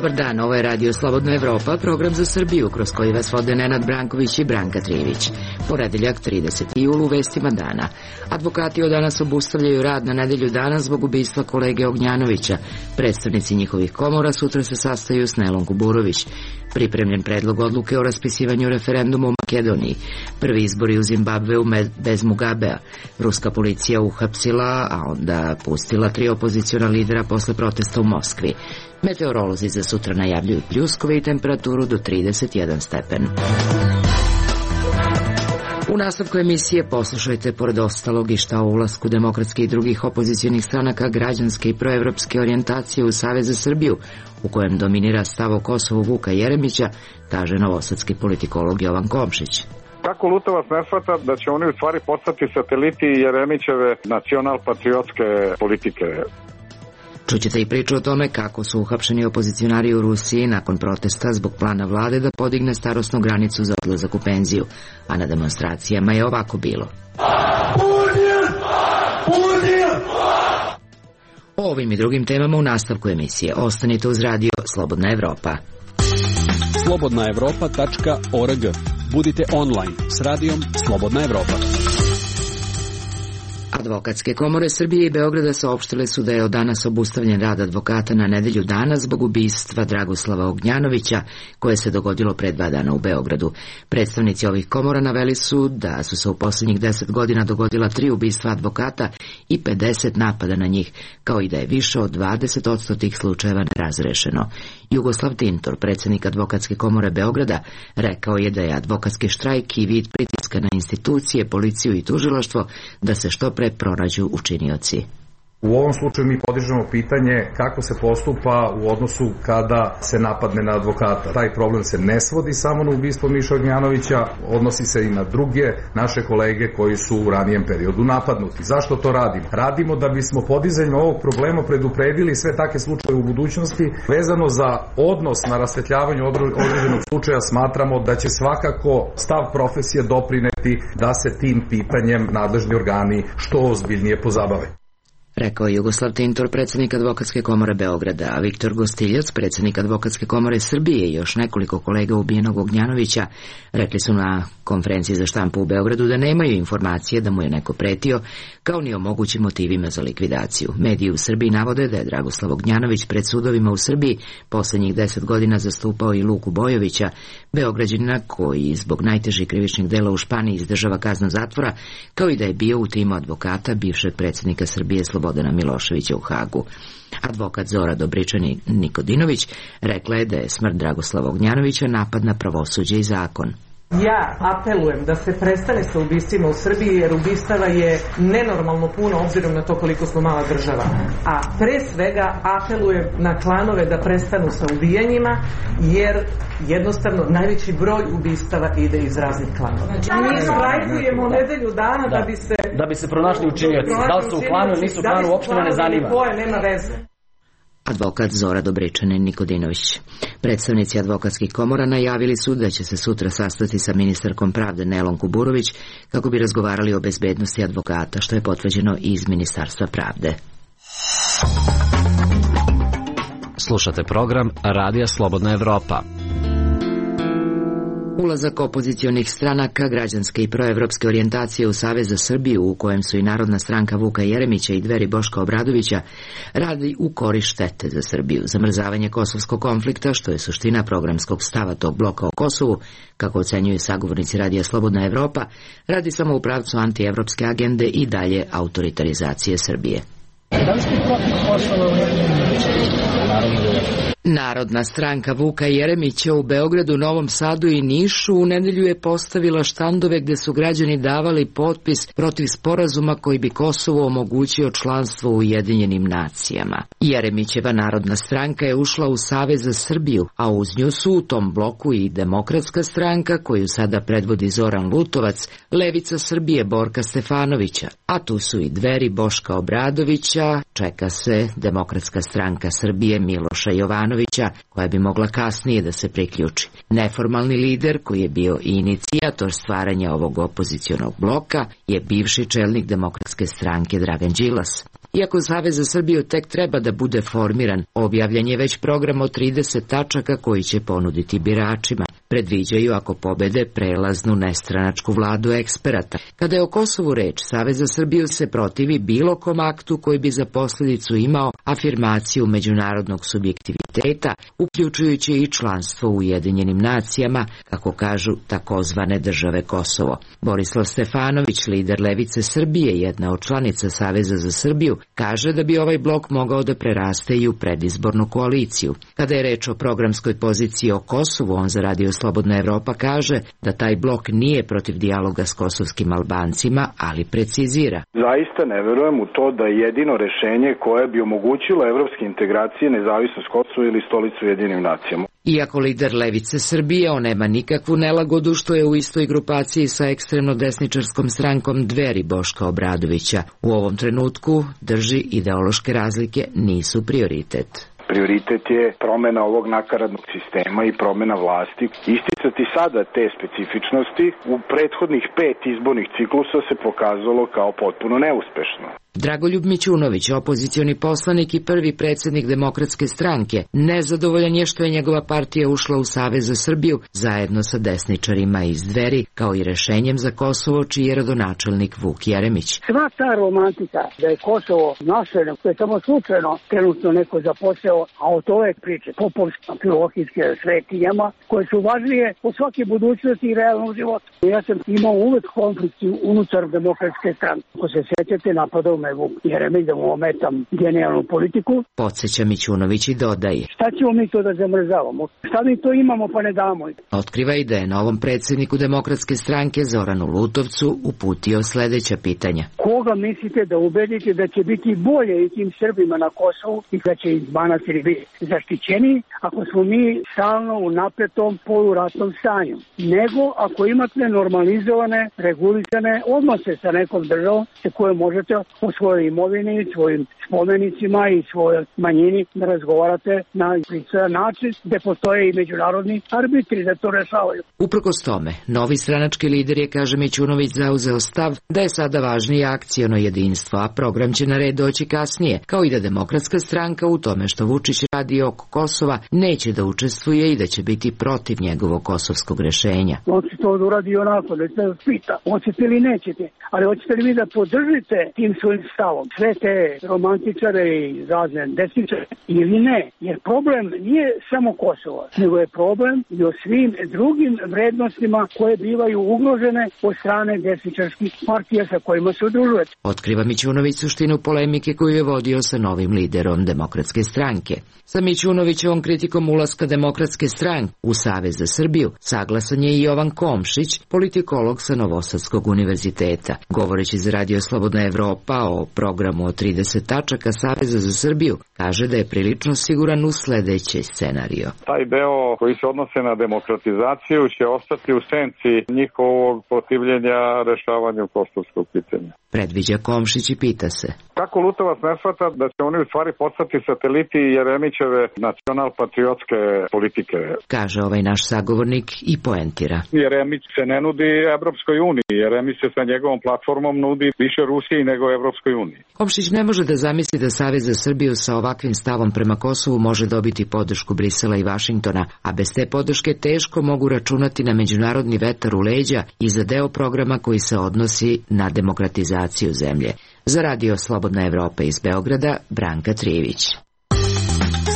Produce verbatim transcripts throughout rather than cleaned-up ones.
Dobar dan, ovo je Radio Slobodna Evropa, program za Srbiju, kroz koji vas vode Nenad Branković i Branka Trivić. Ponedeljak, trideseti jul, u vestima dana. Advokati od danas obustavljaju rad na nedelju dana zbog ubistva kolege Ognjanovića. Predstavnici njihovih komora sutra se sastaju s Nelom Kuburović. Pripremljen predlog odluke o raspisivanju referenduma u Makedoniji. Prvi izbori u Zimbabveu bez Mugabea. Ruska policija uhapsila, a onda pustila tri opoziciona lidera posle protesta u Moskvi. Meteorolozi za sutra najavljuju pljuskove i temperaturu do trideset jedan stepen. U nastavku emisije poslušajte pored ostalog i šta o ulasku demokratske i drugih opozicionih stranaka građanske i proevropske orijentacije u Savez za Srbiju, u kojem dominira stav o Kosovu Vuka Jeremića, kaže novosadski politikolog Jovan Komšić. Kako Lutovac ne shvata da će oni u stvari postati sateliti Jeremićeve nacional-patriotske politike? Čućete i priču o tome kako su uhapšeni opozicionari u Rusiji nakon protesta zbog plana vlade da podigne starosnu granicu za odlazak u penziju, a na demonstracijama je ovako bilo. O ovim i drugim temama u nastavku emisije. Ostanite uz radio Slobodna Evropa. slobodna evropa tačka org. Budite online s radijom Slobodna Evropa. Advokatske komore Srbije i Beograda saopštile su da je od danas obustavljen rad advokata na nedelju dana zbog ubistva Dragoslava Ognjanovića, koje se dogodilo pre dva dana u Beogradu. Predstavnici ovih komora naveli su da su se u poslednjih deset godina dogodila tri ubistva advokata i pedeset napada na njih, kao i da je više od dvadeset posto tih slučajeva nerazrešeno. Jugoslav Tintor, predsednik Advokatske komore Beograda, rekao je da je advokatski štrajk i vid pritiska na institucije, policiju i tužilaštvo da se što pre pronađu učinioci. U ovom slučaju mi podižemo pitanje kako se postupa u odnosu kada se napadne na advokata. Taj problem se ne svodi samo na ubistvo Miše Ognjanovića, odnosi se i na druge naše kolege koji su u ranijem periodu napadnuti. Zašto to radimo? Radimo da bismo podizanjem ovog problema predupredili sve takve slučaje u budućnosti. Vezano za odnos na rasvetljavanju određenog slučaja smatramo da će svakako stav profesije doprineti da se tim pitanjem nadležni organi što ozbiljnije pozabave. Rekao je Jugoslav Tintor, predsednik Advokatske komore Beograda, a Viktor Gostiljac, predsednik Advokatske komore Srbije i još nekoliko kolega ubijenog Ognjanovića rekli su na konferenciji za štampu u Beogradu da nemaju informacije da mu je neko pretio, kao ni o mogućim motivima za likvidaciju. Mediji u Srbiji navode da je Dragoslav Ognjanović pred sudovima u Srbiji poslednjih deset godina zastupao i Luku Bojovića, Beograđanina koji zbog najtežih krivičnih dela u Španiji izdržava kaznu zatvora, kao i da je bio u timu advokata bivšeg predsednika Srbije Slobodana Miloševića u Hagu. Advokat Zora Dobričani Nikodinović rekla je da je smrt Dragoslava Ognjanovića napad na pravosuđe i zakon. Ja apelujem da se prestane sa ubistvima u Srbiji, jer ubistava je nenormalno puno obzirom na to koliko smo mala država. A pre svega apelujem na klanove da prestanu sa ubijanjima, jer jednostavno najveći broj ubistava ide iz raznih klanova. Mi štrajkujemo nedelju dana da, da bi se... Da bi se pronašli učinioci. Da li su u klanu ili nisu u klanu, uopšte ne zanima. Koje, nema veze. Advokat Zora Dobričanin Nikodinović. Predstavnici advokatskih komora najavili su da će se sutra sastati sa ministarkom pravde Nelom Kuburović kako bi razgovarali o bezbednosti advokata, što je potvrđeno iz Ministarstva pravde. Slušate program Radija Slobodna Evropa. Ulazak opozicionih stranaka građanske i proevropske orijentacije u Savez za Srbiju, u kojem su i Narodna stranka Vuka Jeremića i Dveri Boška Obradovića, radi u korist štete za Srbiju. Zamrzavanje kosovskog konflikta, što je suština programskog stava tog bloka o Kosovu, kako ocenjuju sagovornici Radija Slobodna Evropa, radi samo u pravcu antievropske agende i dalje autoritarizacije Srbije. Da li ste protiv Kosova? Narodna stranka Vuka Jeremića u Beogradu, Novom Sadu i Nišu u nedelju je postavila štandove gde su građani davali potpis protiv sporazuma koji bi Kosovo omogućio članstvo u Ujedinjenim nacijama. Jeremićeva Narodna stranka je ušla u Savez za Srbiju, a uz nju su u tom bloku i Demokratska stranka, koju sada predvodi Zoran Lutovac, Levica Srbije Borka Stefanovića, a tu su i Dveri Boška Obradovića, čeka se Demokratska stranka Srbije Miloša Jovanovića, koja bi mogla kasnije da se priključi. Neformalni lider, koji je bio i inicijator stvaranja ovog opozicionog bloka, je bivši čelnik Demokratske stranke Dragan Đilas. Iako Savez za Srbiju tek treba da bude formiran, objavljen je već program od trideset tačaka koji će ponuditi biračima. Predviđaju, ako pobede, prelaznu nestranačku vladu eksperata. Kada je o Kosovu reč, Savez za Srbiju se protivi bilo kom aktu koji bi za posljedicu imao afirmaciju međunarodnog subjektiviteta, uključujući i članstvo u Ujedinjenim nacijama, kako kažu takozvane države Kosovo. Borislav Stefanović, lider Levice Srbije, jedna od članica Saveza za Srbiju, kaže da bi ovaj blok mogao da preraste i u predizbornu koaliciju. Kada je reč o programskoj poziciji o Kosovu, on za Radio Slobodna Evropa kaže da taj blok nije protiv dijaloga s kosovskim Albancima, ali precizira. Zaista ne verujem u to da je jedino rešenje koje bi omogućilo evropske integracije nezavisnost Kosova ili stolicu Ujedinjenim nacijama. Iako lider Levice Srbije, on nema nikakvu nelagodu što je u istoj grupaciji sa ekstremno desničarskom strankom Dveri Boška Obradovića. U ovom trenutku drži ideološke razlike nisu prioritet. Prioritet je promena ovog nakaradnog sistema i promena vlasti. Isticati sada te specifičnosti u prethodnih pet izbornih ciklusa se pokazalo kao potpuno neuspešno. Dragoljub Mićunović, opozicioni poslanik i prvi predsjednik Demokratske stranke, nezadovoljan je što je njegova partija ušla u Savez za Srbiju zajedno sa desničarima iz Dveri, kao i rešenjem za Kosovo, čiji je rodonačelnik Vuk Jeremić. Sva ta romantika da je Kosovo naše, to je samo slučajno trenutno neko zaposeo, a od ove priče popovsko-filohijske svetinjama, koje su važnije od svake budućnosti i realnog života. Ja sam imao uvek konflikt unutar Demokratske stranke. Ako se sjećate, napadao me Vuk Jeremić da mu ometam genijalnu politiku. Podsjeća Mićunović i dodaje. Šta ćemo mi to da zamrzavamo? Šta mi to imamo pa ne damo? Otkriva i da je novom predsjedniku Demokratske stranke Zoranu Lutovcu uputio sledeća pitanja. Koga mislite da ubedite da će biti bolje i tim Srbima na Kosovu i da će iz manastiri biti zaštićeni ako smo mi stalno u napetom poluratnom stanju, nego ako imate normalizovane, regulisane odnose sa nekom državom sa kojom možete o svojoj imovini, svojim spomenicima i svojoj manjini da razgovarate na pristojan način, gde postoje i međunarodni arbitri da to rešavaju. Uprkos tome, novi stranački lider je, kaže Mićunović, zauzeo stav da je sada važnije akciono jedinstvo, a program će na red doći kasnije, kao i da Demokratska stranka u tome što Vučić radi oko Kosova neće da učestvuje i da će biti protiv njegovog kosovskog rešenja. On će to uradi onako, da se pita, hoćete li nećete, ali hoćete li vi da podržite tim svojim stavom sve te romantičare i razne desničare ili ne, jer problem nije samo Kosovo, nego je problem i o svim drugim vrednostima koje bivaju ugrožene od strane desničarskih partija sa kojima se udružuje. Otkriva Mićunović suštinu polemike koju je vodio sa novim liderom Demokratske stranke. Sa Mićunovićevom kritikom ulaska Demokratske stranke u Savez za Srbiju saglasan je i Jovan Komšić, politikolog sa Novosadskog univerziteta. Govoreći za Radio Slobodna Evropa o programu od trideset tačaka Saveza za Srbiju, kaže da je prilično siguran u sledeći scenario. Taj deo koji se odnose na demokratizaciju će ostati u senci njihovog protivljenja rešavanju kosovskog pitanja. Predviđa Komšić i pita se. Kako Lutovac ne shvata da će oni u stvari postati sateliti Jeremićeve nacional-patriotske politike? Kaže ovaj naš sagovornik i poentira. Jeremić se ne nudi Evropskoj uniji, Jeremić se sa njegovom platformom nudi više Rusiji nego Evropskoj uniji. Komšić ne može da zamisli da Savez za Srbiju sa ovakvim stavom prema Kosovu može dobiti podršku Brisela i Vašingtona, a bez te podrške teško mogu računati na međunarodni vetar u leđa i za deo programa koji se odnosi na demokratizaciju zemlje. Za Radio Slobodna Evropa iz Beograda, Branka Trijević.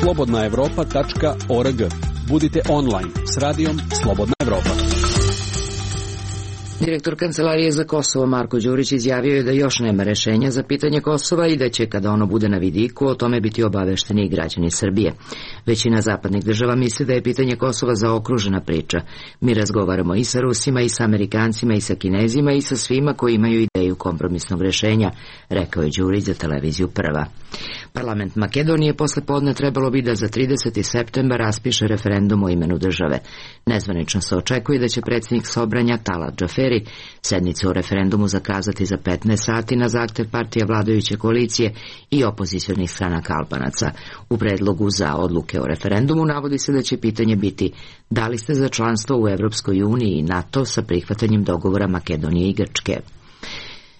slobodna evropa tačka org. Budite online s Radijom Slobodna Evropa. Direktor Kancelarije za Kosovo Marko Đurić izjavio je da još nema rešenja za pitanje Kosova i da će, kada ono bude na vidiku, o tome biti obavešteni i građani Srbije. Većina zapadnih država misli da je pitanje Kosova zaokružena priča. Mi razgovaramo i sa Rusima, i sa Amerikancima, i sa Kinezima, i sa svima koji imaju ideju kompromisnog rešenja, rekao je Đurić za televiziju Prva. Parlament Makedonije posle podne trebalo bi da za trideseti septembar raspiše referendum o imenu države. Nezvanično se očekuje da će predsjednik Sobranja Talat Džaferi sednicu o referendumu zakazati za petnaest sati na zahtev partija vladajuće koalicije i opozicionih stranaka Albanaca. U predlogu za odluke o referendumu navodi se da će pitanje biti da li ste za članstvo u Evropskoj uniji i NATO sa prihvatanjem dogovora Makedonije i Grčke.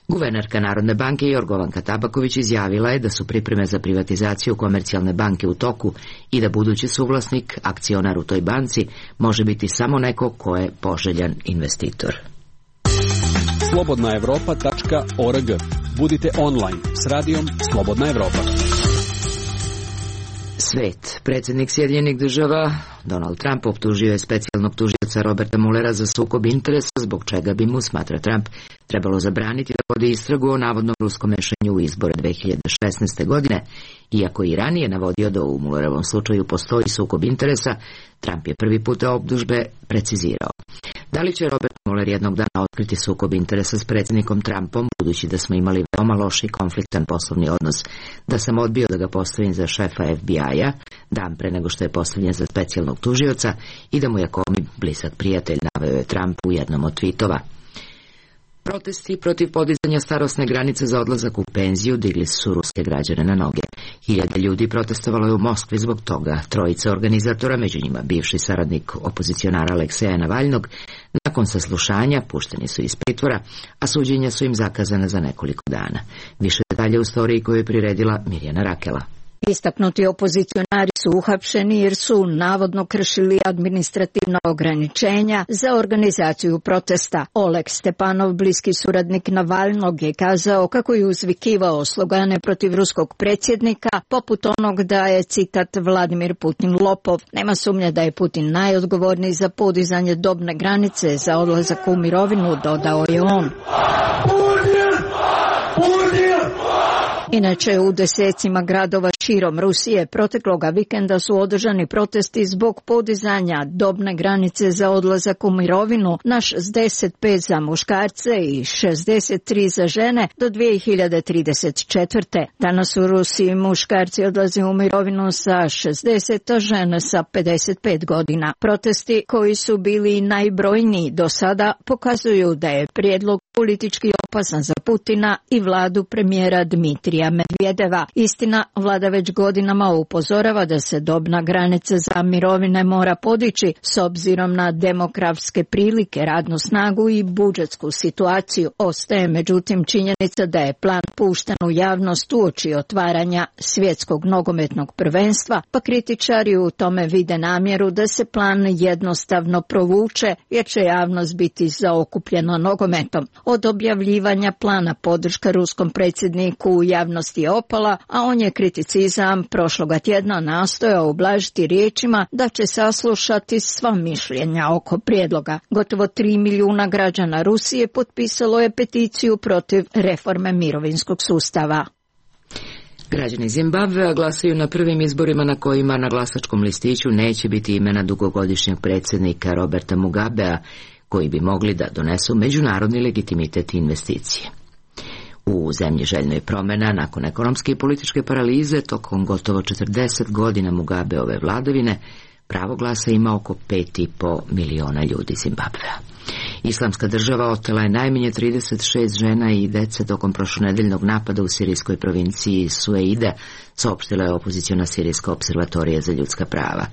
Guvernerka Narodne banke Jorgovanka Tabaković izjavila je da su pripreme za privatizaciju Komercijalne banke u toku i da budući suvlasnik, akcionar u toj banci, može biti samo neko ko je poželjan investitor. slobodna evropa tačka org. Budite online s radijom Slobodna Evropa. Svet. Predsjednik Sjedinjenih država Donald Trump optužio je specijalnog tužioca Roberta Muellera za sukob interesa, zbog čega bi mu, smatra Trump, trebalo zabraniti da vodi istragu o navodnom ruskom mešenju u izbore dve hiljade šesnaeste. godine. Iako i ranije navodio da u Muellerovom slučaju postoji sukob interesa, Trump je prvi put optužbe precizirao. Da li će Robert Mueller jednog dana otkriti sukob interesa s predsjednikom Trumpom, budući da smo imali veoma loš i konfliktan poslovni odnos, da sam odbio da ga postavim za šefa F B I-a, dan pre nego što je postavljen za specijalnog tužioca, i da mu je Comey blizak prijatelj, naveo je Trump u jednom od tweetova. Protesti protiv podizanja starosne granice za odlazak u penziju digli su ruske građane na noge. Hiljade ljudi protestovalo je u Moskvi zbog toga. Trojica organizatora, među njima bivši saradnik opozicionara Alekseja Navalnog, nakon saslušanja pušteni su iz pritvora, a suđenja su im zakazana za nekoliko dana. Više detalja u storiji koju je priredila Mirjana Rakela. Istaknuti opozicionari su uhapšeni jer su navodno kršili administrativna ograničenja za organizaciju protesta. Oleg Stepanov, bliski suradnik Navalnog, je kazao kako je uzvikivao slogane protiv ruskog predsjednika, poput onog da je, citat, Vladimir Putin lopov. Nema sumnje da je Putin najodgovorniji za podizanje dobne granice za odlazak u mirovinu, dodao je on. Inače, u desecima gradova širom Rusije protekloga vikenda su održani protesti zbog podizanja dobne granice za odlazak u mirovinu na šezdeset pet za muškarce i šezdeset tri za žene do dve hiljade trideset četvrte. Danas u Rusiji muškarci odlaze u mirovinu sa šezdeset, a žene sa pedeset pet godina. Protesti, koji su bili najbrojniji do sada, pokazuju da je prijedlog politički opasan za Putina i vladu premijera Dmitrija Medvedeva. Istina, vlada već godinama upozorava da se dobna granica za mirovine mora podići s obzirom na demografske prilike, radnu snagu i budžetsku situaciju. Ostaje međutim činjenica da je plan pušten u javnost uoči otvaranja svjetskog nogometnog prvenstva, pa kritičari u tome vide namjeru da se plan jednostavno provuče jer će javnost biti zaokupljena nogometom. Od objavljivanja plana podrška ruskom predsjedniku u javnosti je opala, a on je kriticizam prošloga tjedna nastojao ublažiti riječima da će saslušati sva mišljenja oko prijedloga. Gotovo tri milijuna građana Rusije potpisalo je peticiju protiv reforme mirovinskog sustava. Građani Zimbabvea glasaju na prvim izborima na kojima na glasačkom listiću neće biti imena dugogodišnjeg predsjednika Roberta Mugabea, koji bi mogli da donesu međunarodni legitimitet i investicije. U zemlji željno je promjena nakon ekonomske i političke paralize tokom gotovo četrdeset godina Mugabeove vladavine. Pravo glasa ima oko pet i po miliona ljudi Zimbabvea. Islamska država otela je najmanje trideset šest žena i dece tokom prošlonedeljnog napada u sirijskoj provinciji Sueide, saopštila je opoziciona sirijska opservatorija za ljudska prava.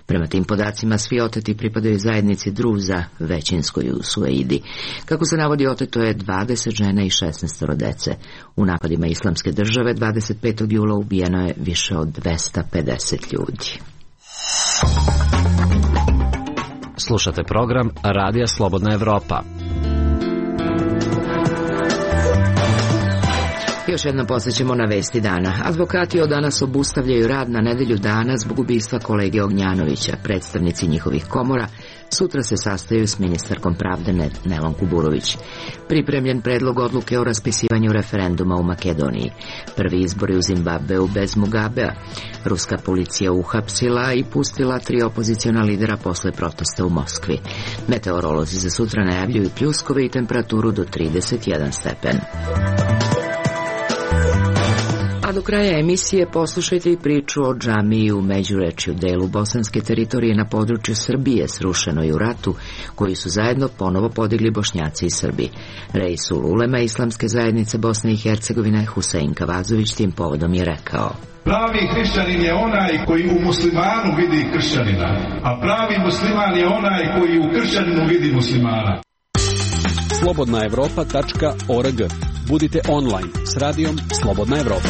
Prema tim podacima svi oteti pripadaju zajednici Druza, većinskoj u Sueidi. Kako se navodi, oteto je dvadeset žena i šesnaest dece. U napadima Islamske države dvadeset petog jula ubijeno je više od dvesta pedeset ljudi. Slušate program Radija Slobodna Evropa. Još jednom posjećemo na vesti dana. Advokati od danas obustavljaju rad na nedelju dana zbog ubistva kolege Ognjanovića. Predstavnici njihovih komora sutra se sastaju s ministarkom pravde Nelom Kuburović. Pripremljen predlog odluke o raspisivanju referenduma u Makedoniji. Prvi izbori u Zimbabveu bez Mugabea. Ruska policija uhapsila i pustila tri opoziciona lidera posle protesta u Moskvi. Meteorolozi za sutra najavljuju pljuskove i temperaturu do trideset jedan stepen. A do kraja emisije poslušajte i priču o džamiji u Međurečju, delu bosanske teritorije na području Srbije, srušenoj u ratu, koji su zajedno ponovo podigli Bošnjaci i Srbi. Reisul ulema Islamske zajednice Bosne i Hercegovine Husein Kavazović tim povodom je rekao: pravi hrišćanin je onaj koji u muslimanu vidi kršćanina, a pravi musliman je onaj koji u kršćaninu vidi muslimana. slobodna evropa tačka org. Budite online s radijom Slobodna Evropa.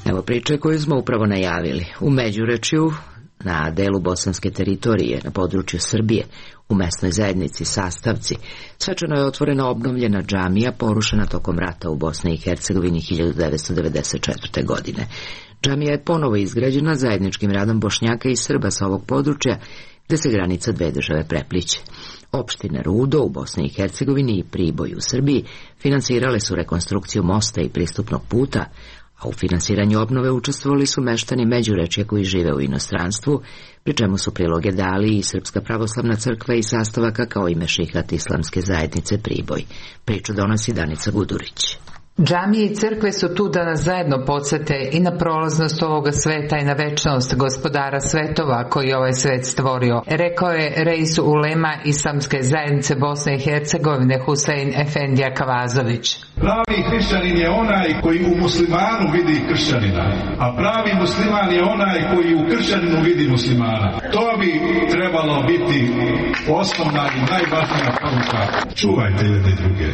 Evo priče koju smo upravo najavili. U Međurečju, na delu bosanske teritorije, na području Srbije, u mesnoj zajednici Sastavci, svečano je otvorena obnovljena džamija porušena tokom rata u Bosni i Hercegovini hiljadu devetsto devedeset četvrte. godine. Džamija je ponovo izgrađena zajedničkim radom Bošnjaka i Srba sa ovog područja, gde se granica dve države prepliće. Opštine Rudo u Bosni i Hercegovini i Priboj u Srbiji finansirale su rekonstrukciju mosta i pristupnog puta, a u finansiranju obnove učestvovali su meštani Međurečja koji žive u inostranstvu, pri čemu su priloge dali i Srpska pravoslavna crkva i Sastavaka kao i Mešihat islamske zajednice Priboj. Priču donosi Danica Gudurić. Džamije i crkve su tu da nas zajedno podsete i na prolaznost ovoga sveta i na večnost gospodara svetova koji je ovaj svet stvorio, rekao je Reis ulema islamske zajednice Bosne i Hercegovine Husein Efendija Kavazović. Pravi hrišćanin je onaj koji u muslimanu vidi kršćanina, a pravi musliman je onaj koji u kršćaninu vidi muslimana. To bi trebalo biti osnovna i najvažnija poruka. Čuvajte jedne druge.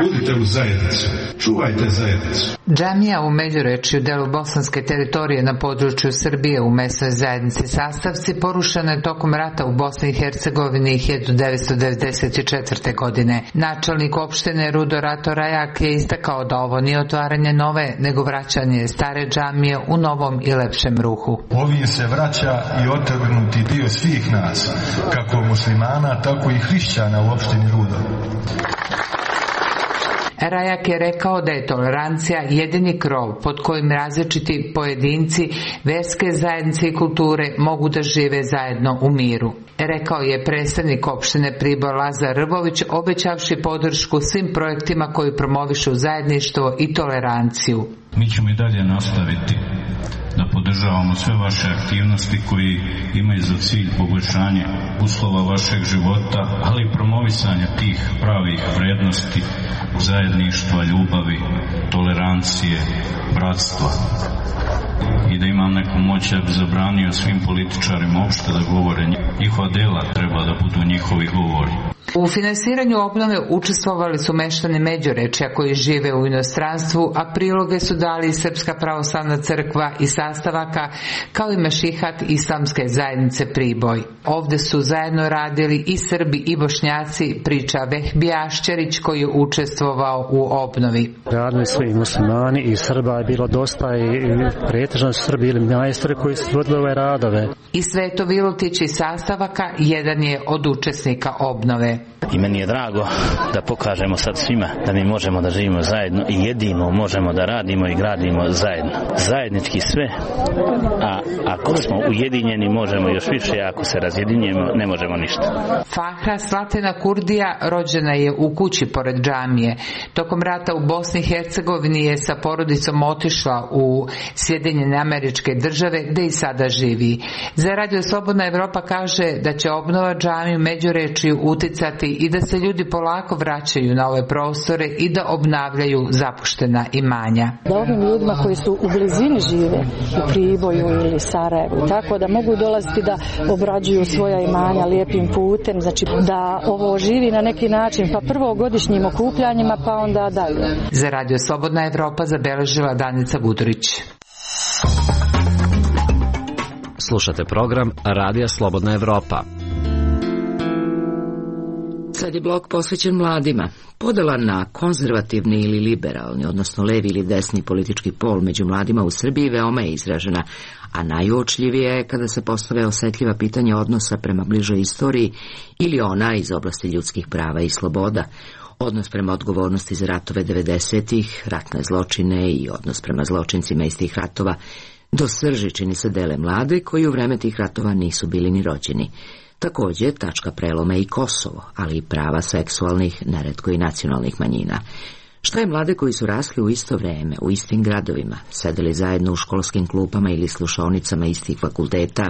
Budite u zajednicu. Čuvajte zajednicu. Džamija u Međurečju, delu bosanske teritorije na području Srbije u mesnoj zajednici Sastavci, porušena je tokom rata u Bosni i Hercegovini hiljadu devetsto devedeset četvrte. godine. Načelnik opštine Rudo Rato Rajak je istakao da ovo nije otvaranje nove, nego vraćanje stare džamije u novom i lepšem ruhu. Ovim se vraća i otrgnuti dio svih nas, kako muslimana, tako i hrišćana u opštini Rudo. Rajak je rekao da je tolerancija jedini krov pod kojim različiti pojedinci, verske zajednice i kulture mogu da žive zajedno u miru. Rekao je predstavnik opštine Priboj Lazar Rvović, obećavši podršku svim projektima koji promovišu zajedništvo i toleranciju. Mi ćemo i dalje nastaviti da podržavamo sve vaše aktivnosti koji imaju za cilj poboljšanje uslova vašeg života, ali i promovisanje tih pravih vrednosti, zajedništva, ljubavi, tolerancije, bratstva. I da imam neku moć, ja bi zabranio svim političarima uopšte da govore. Njihova dela treba da budu njihovi govori. U finansiranju obnove učestvovali su meštani Međurečja koji žive u inostranstvu, a priloge su dali i Srpska pravoslavna crkva i Sastavaka, kao i Mešihat islamske zajednice Priboj. Ovde su zajedno radili i Srbi i Bošnjaci, priča Vehbija Ašćerić koji je učestvovao u obnovi. Radili su i muslimani i Srba je bilo dosta i pretežno su Srbi ili majstori koji su vodili ove radove. I Sveto Vilutić iz Sastavaka jedan je od učesnika obnove. I meni je drago da pokažemo sad svima da mi možemo da živimo zajedno i jedino možemo da radimo i gradimo zajedno. Zajednički sve, a ako smo ujedinjeni možemo još više, a ako se razjedinjemo ne možemo ništa. Fahra Slatena Kurdija rođena je u kući pored džamije. Tokom rata u Bosni i Hercegovini je sa porodicom otišla u Sjedinjene Američke Države gde i sada živi. Za Radio Slobodna Evropa kaže da će obnova džamije u Međurečju uticati i da se ljudi polako vraćaju na ove prostore i da obnavljaju zapuštena imanja. Da ovim ljudima koji su u blizini žive, u Priboju ili Sarajevu, tako da mogu dolaziti da obrađuju svoja imanja lijepim putem, znači da ovo živi na neki način, pa prvo godišnjim okupljanjima, pa onda dalje. Za Radio Slobodna Evropa zabeležila Danica Gudurić. Slušate program Radija Slobodna Evropa. Sad je blok posvećen mladima. Podela na konzervativni ili liberalni, odnosno levi ili desni politički pol među mladima u Srbiji veoma je izražena, a najuočljivije je kada se postave osetljiva pitanja odnosa prema bližoj istoriji ili ona iz oblasti ljudskih prava i sloboda, odnos prema odgovornosti za ratove devedesetih, ratne zločine i odnos prema zločincima iz tih ratova. Do srži čini se dele mlade koji u vreme tih ratova nisu bili ni rođeni. Također, tačka preloma i Kosovo, ali i prava seksualnih, neretko i nacionalnih manjina. Šta je mlade koji su rasli u isto vreme, u istim gradovima, sedeli zajedno u školskim klupama ili slušaonicama istih fakulteta,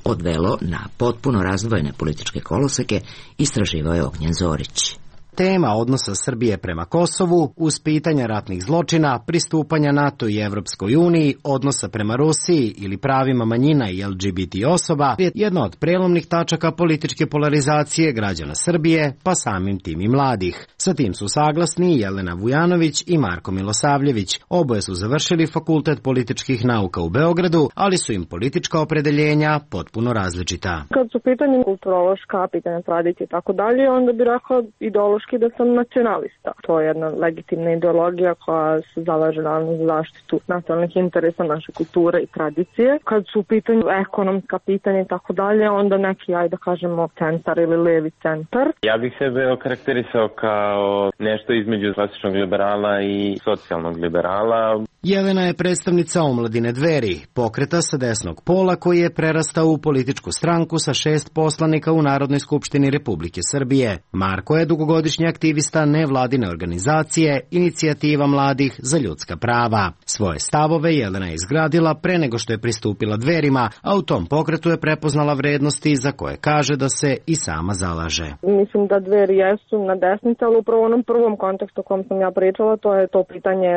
odvelo na potpuno razdvojene političke koloseke, istraživao je Ognjen Zorić. tema odnosa Srbije prema Kosovu, uz pitanja ratnih zločina, pristupanja NATO i Evropskoj uniji, odnosa prema Rusiji ili pravima manjina i L G B T osoba je jedna od prelomnih tačaka političke polarizacije građana Srbije, pa samim tim i mladih. Sa tim su saglasni Jelena Vujanović i Marko Milosavljević. Oboje su završili Fakultet političkih nauka u Beogradu, ali su im politička opredeljenja potpuno različita. Kad su pitanje kulturološka, pitanja tradicije i tako dalje, onda bi rekao ideološki da sam nacionalista. To je jedna legitimna ideologija koja se zalaže naravno za zaštitu nacionalnih interesa naše kulture i tradicije. Kad su u pitanju ekonomska pitanja i tako dalje, onda neki, ajde da kažemo, centar ili levi centar. Ja bih sebe okarakterisao kao nešto između klasičnog liberala i socijalnog liberala. Jelena je predstavnica omladine Dveri, pokreta sa desnog pola koji je prerastao u političku stranku sa šest poslanika u Narodnoj skupštini Republike Srbije. Marko je dugogodišnji aktivista nevladine organizacije Inicijativa mladih za ljudska prava. Svoje stavove Jelena je izgradila pre nego što je pristupila Dverima, a u tom pokretu je prepoznala vrednosti za koje kaže da se i sama zalaže. Mislim da Dveri jesu na desnici, ali upravo u onom prvom kontekstu o kom sam ja pričala, to je to pitanje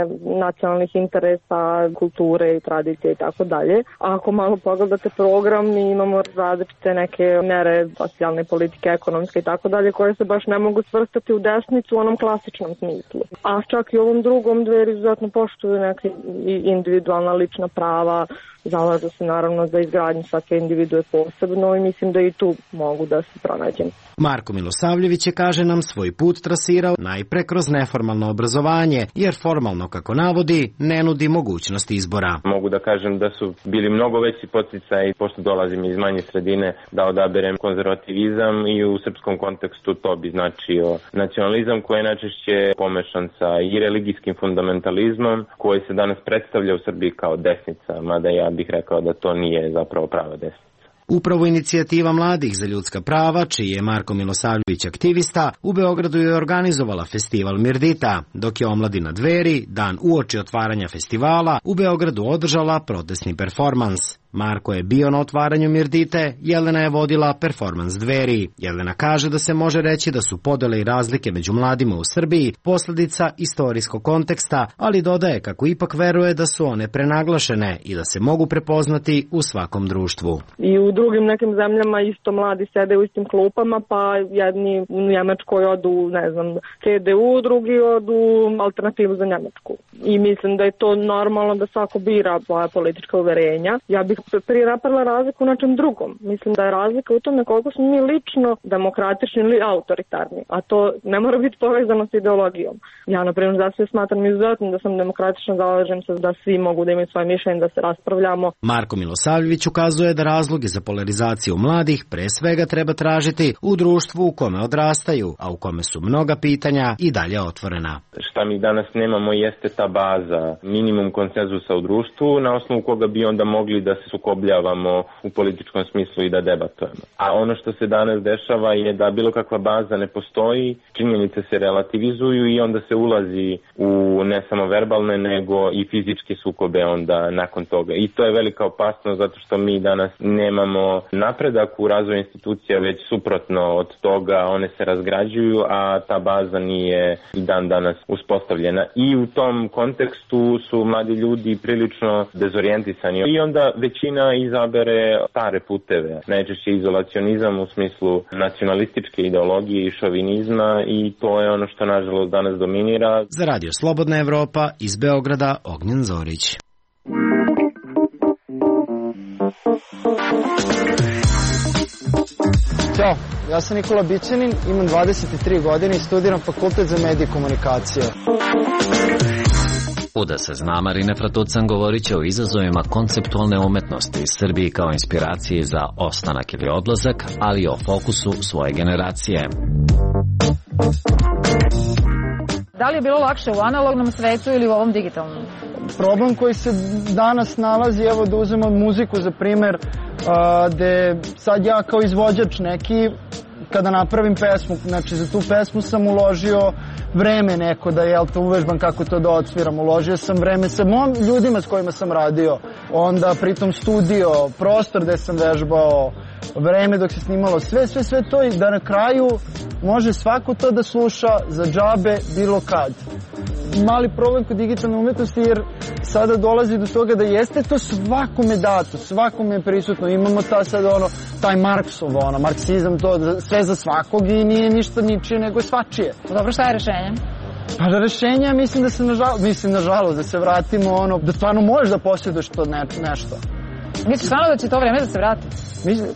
nacionalnih interesa, kulture i tradicije i tako dalje. A ako malo pogledate program, mi imamo različite neke mere socijalne politike, ekonomske i tako dalje, koje se baš ne mogu svrstati u desnicu u onom klasičnom smislu. A čak i u ovom drugom Dveri izuzetno poštuju neke individualna lična prava, zalažu se naravno za izgradnju svake individue posebno i mislim da i tu mogu da se pronađem. Marko Milosavljević je, kaže nam, svoj put trasirao najpre kroz neformalno obrazovanje, jer formalno, kako navodi, ne nudi mogućnost izbora. Mogu da kažem da su bili mnogo veći podsticaj, pošto dolazim iz manje sredine, da odaberem konzervativizam i u srpskom kontekstu to bi značio nacionalizam koji je najčešće pomešan sa i religijskim fundamentalizmom koji se danas predstavlja u Srbiji kao desnica, mada ja bih rekao da to nije zapravo prava desnica. Upravo Inicijativa mladih za ljudska prava, čiji je Marko Milosavljević aktivista, u Beogradu je organizovala festival Mirdita, dok je omladina Dveri, dan uoči otvaranja festivala, u Beogradu održala protestni performans. Marko je bio na otvaranju Mirdite, Jelena je vodila performans Dveri. Jelena kaže da se može reći da su podele i razlike među mladima u Srbiji posledica istorijskog konteksta, ali dodaje kako ipak veruje da su one prenaglašene i da se mogu prepoznati u svakom društvu. I u drugim nekim zemljama isto mladi sede u istim klupama, pa jedni u Njemačkoj odu, ne znam, C D U, drugi odu Alternativu za Njemačku. I mislim da je to normalno da svako bira svoja politička uverenja. Ja bih prije napravila razliku u nečem drugom. Mislim da je razlika u tome koliko smo mi lično demokratični ili autoritarni, a to ne mora biti povezano s ideologijom. Ja, na primjer, da se smatram izuzetno da sam demokratična, zalažem se da svi mogu da imaju svoje mišljenje, da se raspravljamo. Marko Milosavljević ukazuje da razloge za polarizaciju mladih pre svega treba tražiti u društvu u kome odrastaju, a u kome su mnoga pitanja i dalje otvorena. Šta mi danas nemamo jeste ta baza, minimum konsenzusa u društvu, na osnovu koga bi onda mogli da se sukobljavamo u političkom smislu i da debatujemo. A ono što se danas dešava je da bilo kakva baza ne postoji, činjenice se relativizuju i onda se ulazi u ne samo verbalne nego i fizičke sukobe onda nakon toga. I to je velika opasnost zato što mi danas nemamo napredak u razvoju institucija, već suprotno od toga one se razgrađuju, a ta baza nije i dan danas uspostavljena. I u tom kontekstu su mladi ljudi prilično dezorijentisani i onda većina izabere stare puteve, najčešće izolacionizam u smislu nacionalističke ideologije i šovinizma i to je ono što nažalost danas dominira. Za Radio Slobodna Evropa iz Beograda Ognjen Zorić. Ćao, ja sam Nikola Bićanin, imam dvadeset tri godine i studiram Fakultet za medije i komunikacije. Uda se zna, Marine Fratucan govorit će o izazovima konceptualne umetnosti iz Srbiji kao inspiraciji za ostanak ili odlazak, ali i o fokusu svoje generacije. Da li je bilo lakše u analognom svetu ili u ovom digitalnom? Problem koji se danas nalazi, evo da uzmemo muziku za primer, gde sad ja kao izvođač neki, kada napravim pesmu, znači za tu pesmu sam uložio vreme neko da jel to uvežbam kako to da odsviram, uložio sam vreme sa mom ljudima s kojima sam radio, onda pritom studio, prostor gde sam vežbao, vreme dok se snimalo, sve, sve, sve to i da na kraju može svako to da sluša za džabe bilo kad. Mali problem kod digitalne umetnosti jer sada dolazi do toga da jeste to svakome dato, svakome je prisutno. Imamo ta sad ono, taj Marksov, ono, marksizam, to sve za svakog i nije ništa ničije nego svačije. Dobro, šta je rešenje? Pa da rešenja mislim da se nažalost, mislim nažalost da se vratimo ono, da stvarno možeš da posjeduješ to ne, nešto. Misliš stvarno da će to vreme da se vrati? Mislim,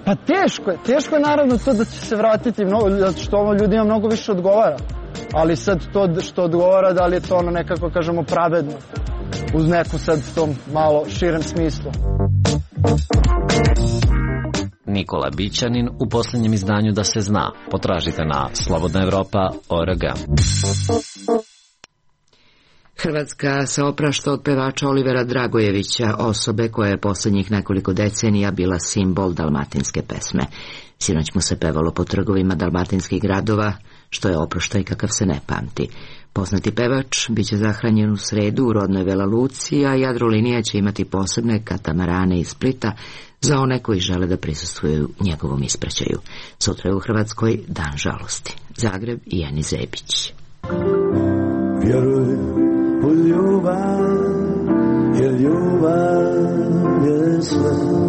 pa teško je, teško je naravno to da će se vratiti, mnogo, zato što ovo ljudima mnogo više odgovara. Ali sad to što odgovara, da li je to ono nekako, kažemo, pravedno, uz neku sad tom malo širem smislu. Nikola Bićanin u posljednjem izdanju Da se zna. Potražite na slobodna evropa tačka org. Hrvatska se oprašta od pevača Olivera Dragojevića, osobe koja je posljednjih nekoliko decenija bila simbol dalmatinske pesme. Sinoć mu se pevalo po trgovima dalmatinskih gradova, što je oproštaj kakav se ne pamti. Poznati pevač biće zahranjen u sredu u rodnoj Vela Luci, a Jadrolinija će imati posebne katamarane iz Splita za one koji žele da prisustvuju njegovom ispraćaju. Sutra je u Hrvatskoj Dan žalosti. Zagreb i Eni Zebić. Vjeruj u ljubav, jer ljubav je sve.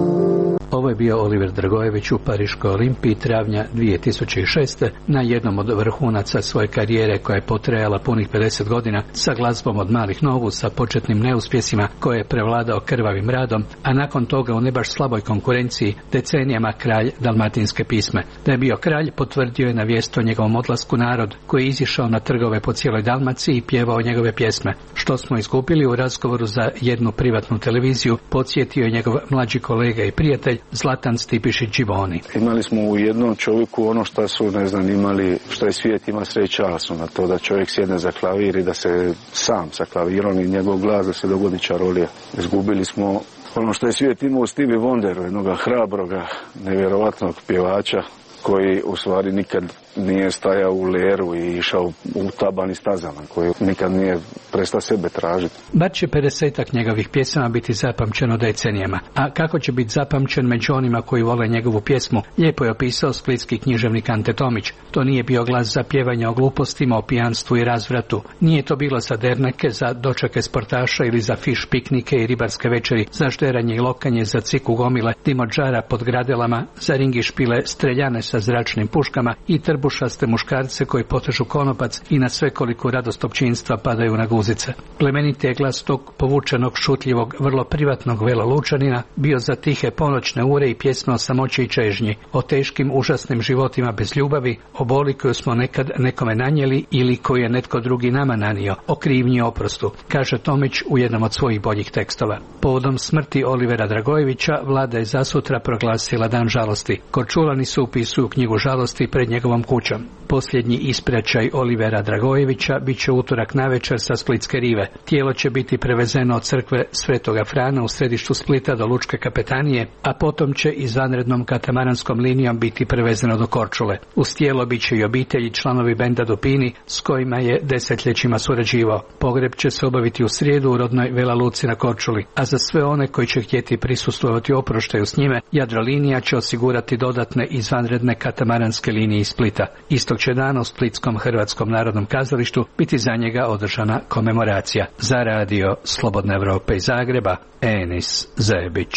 Ovo je bio Oliver Dragojević u Pariškoj Olimpiji travnja dvije tisuće šeste na jednom od vrhunaca svoje karijere koja je potrajala punih pedeset godina sa glazbom od malih nogu, sa početnim neuspjesima koje je prevladao krvavim radom, a nakon toga u ne baš slaboj konkurenciji decenijama kralj dalmatinske pisme. Da je bio kralj potvrdio je na vijest o njegovom odlasku narod koji je izišao na trgove po cijeloj Dalmaciji i pjevao njegove pjesme. Što smo izgubili u razgovoru za jednu privatnu televiziju, podsjetio je njegov mlađi kolega i prijatelj Zlatan Stipišić Đivoni. Imali smo u jednom čovjeku ono što su, ne znam, imali, što je svijet ima sve času na to da čovjek sjedne za klavir i da se sam sa klavirom i njegov glas da se dogodi čarolija. Izgubili smo ono što je svijet imao u Stevie Wonderu, jednoga hrabroga, nevjerovatnog pjevača koji u stvari nikad nije stajao u leru i išao u tabani stazama, koji nikad nije prestao sebe tražiti. Bar će pedesetak njegovih pjesama biti zapamćeno decenijama. A kako će biti zapamćen među onima koji vole njegovu pjesmu, lijepo je opisao splitski književnik Ante Tomić. To nije bio glas za pjevanje o glupostima, o pijanstvu i razvratu. Nije to bilo za derneke, za dočeke sportaša ili za fiš piknike i ribarske večeri, za žderanje i lokanje, za ciku gomile, dimodžara pod gradelama, za ringi špile, streljane sa zračnim puškama i trbušaste muškarce koji potežu konopac i na svekoliku radost općinstva padaju na guzice. Plemeniti je glas tog povučenog, šutljivog, vrlo privatnog Vela Lučanina bio za tihe ponoćne ure i pjesme o samoći i čežnji, o teškim, užasnim životima bez ljubavi, o boli koju smo nekad nekome nanijeli ili koju je netko drugi nama nanio, o krivnji i oprostu, kaže Tomić u jednom od svojih boljih tekstova. Povodom smrti Olivera Dragojevića vlada je zasutra proglasila Dan žalosti. Korčulani su upisuju knjigu žalosti pred njegovom kućom. Posljednji ispraćaj Olivera Dragojevića bit će utorak navečer sa Splitske rive. Tijelo će biti prevezeno od crkve Svetoga Frana u središtu Splita do Lučke kapetanije, a potom će izvanrednom katamaranskom linijom biti prevezeno do Korčule. Uz tijelo bit će i obitelji članovi benda Dupini s kojima je desetljećima surađivao. Pogreb će se obaviti u srijedu u rodnoj Vela Luci na Korčuli, a za sve one koji će htjeti prisustvovati oproštaju s njime, Jadrolinija će osigurati dodatne izvanredne katamaranske linije iz Splita. Istog će dana u Splitskom Hrvatskom narodnom kazalištu biti za njega održana komemoracija. Za radio Slobodna Evropa iz Zagreba, Enis Zebić.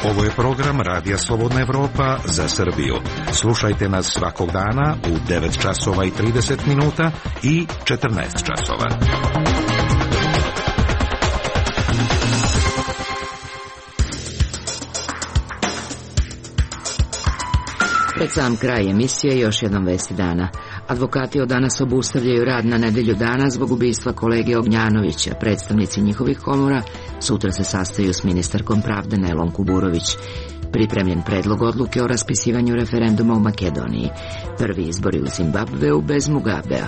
Ovo je program Radija Slobodna Evropa za Srbiju. Slušajte nas svakog dana u devet časova i trideset minuta i četrnaest časova. Pred sam kraj emisije još jednom vesti dana. Advokati od danas obustavljaju rad na nedelju dana zbog ubistva kolege Ognjanovića. Predstavnici njihovih komora sutra se sastaju s ministarkom pravde Nelom Kuburović. Pripremljen predlog odluke o raspisivanju referenduma u Makedoniji. Prvi izbori u Zimbabveu bez Mugabea.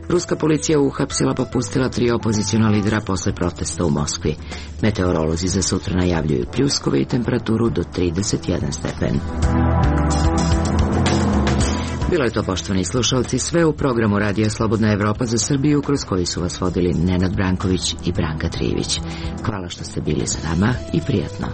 Ruska policija uhapsila pa pustila tri opoziciona lidera posle protesta u Moskvi. Meteorolozi za sutra najavljuju pljuskove i temperaturu do trideset jedan stepen. Bilo je to, poštovani slušalci, sve u programu Radija Slobodna Evropa za Srbiju, kroz koji su vas vodili Nenad Branković i Branka Trijević. Hvala što ste bili sa nama i prijatno.